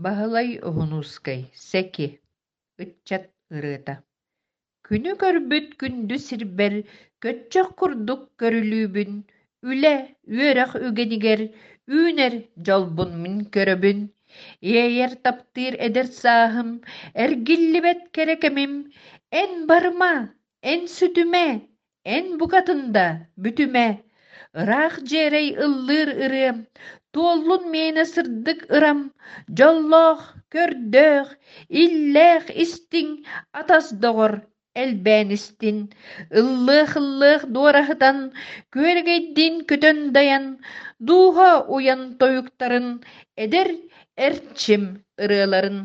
Баһылай Уһунуускай Сэки Ыччат ырыата Күнү көрбүт күндү сирбэр Көччөх курдук көрүлүүбүн, Үлэ, үөрэх үгэнигэр Үүнэр дьолбун мин көрөбүн. Иэйэр таптыыр эдэр сааһым, Эргиллибэт кэрэ кэмим, Эн барыма, эн сүтүмэ, Эн букатын да бүтүмэ, ыраах дьиэрэй ыллыыр ырыам, туоллун миэнэ сырдык ырам, дьоллоох, көрдөөх, иллээх истиҥ атас доҕор элбээн истин, ыллыах-ыллыах дуораһытан, күөрэгэйдиин көтөн дайан, дууһа уйан тойуктарын, эдэр эрчим ырыаларын.